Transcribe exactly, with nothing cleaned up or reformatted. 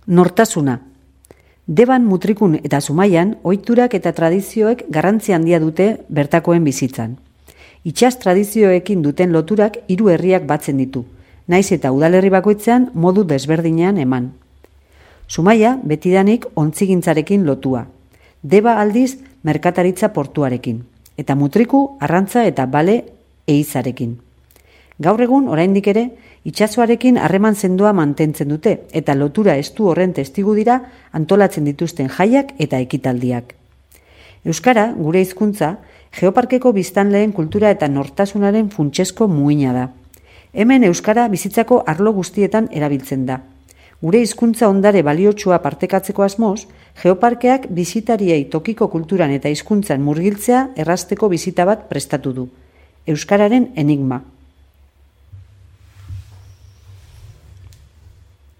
Nortasuna. Deban, Mutrikun eta Zumaian ohiturak eta tradizioek garrantzi handia dute bertakoen bizitzan. Itsas tradizioekin duten loturak hiru herriak batzen ditu, naiz eta udalerri bakoitzean modu desberdinean eman. Zumaia betidanik ontzigintzarekin lotua, Deba aldiz merkataritza portuarekin, eta Mutriku arrantza eta bale eizarekin. Gaur egun oraindik ere itsasoarekin harreman sendoa mantentzen dute eta lotura estu horren testigu dira antolatzen dituzten jaiak eta ekitaldiak. Euskara, gure hizkuntza, Geoparkeko biztanleen kultura eta nortasunaren funtsezko muina da. Hemen euskara bizitzako arlo guztietan erabiltzen da. Gure hizkuntza ondare baliotsua partekatzeko asmoz, Geoparkeak bisitariei tokiko kulturan eta hizkuntzan murgiltzea errazteko bisita bat prestatu du. Euskararen enigma.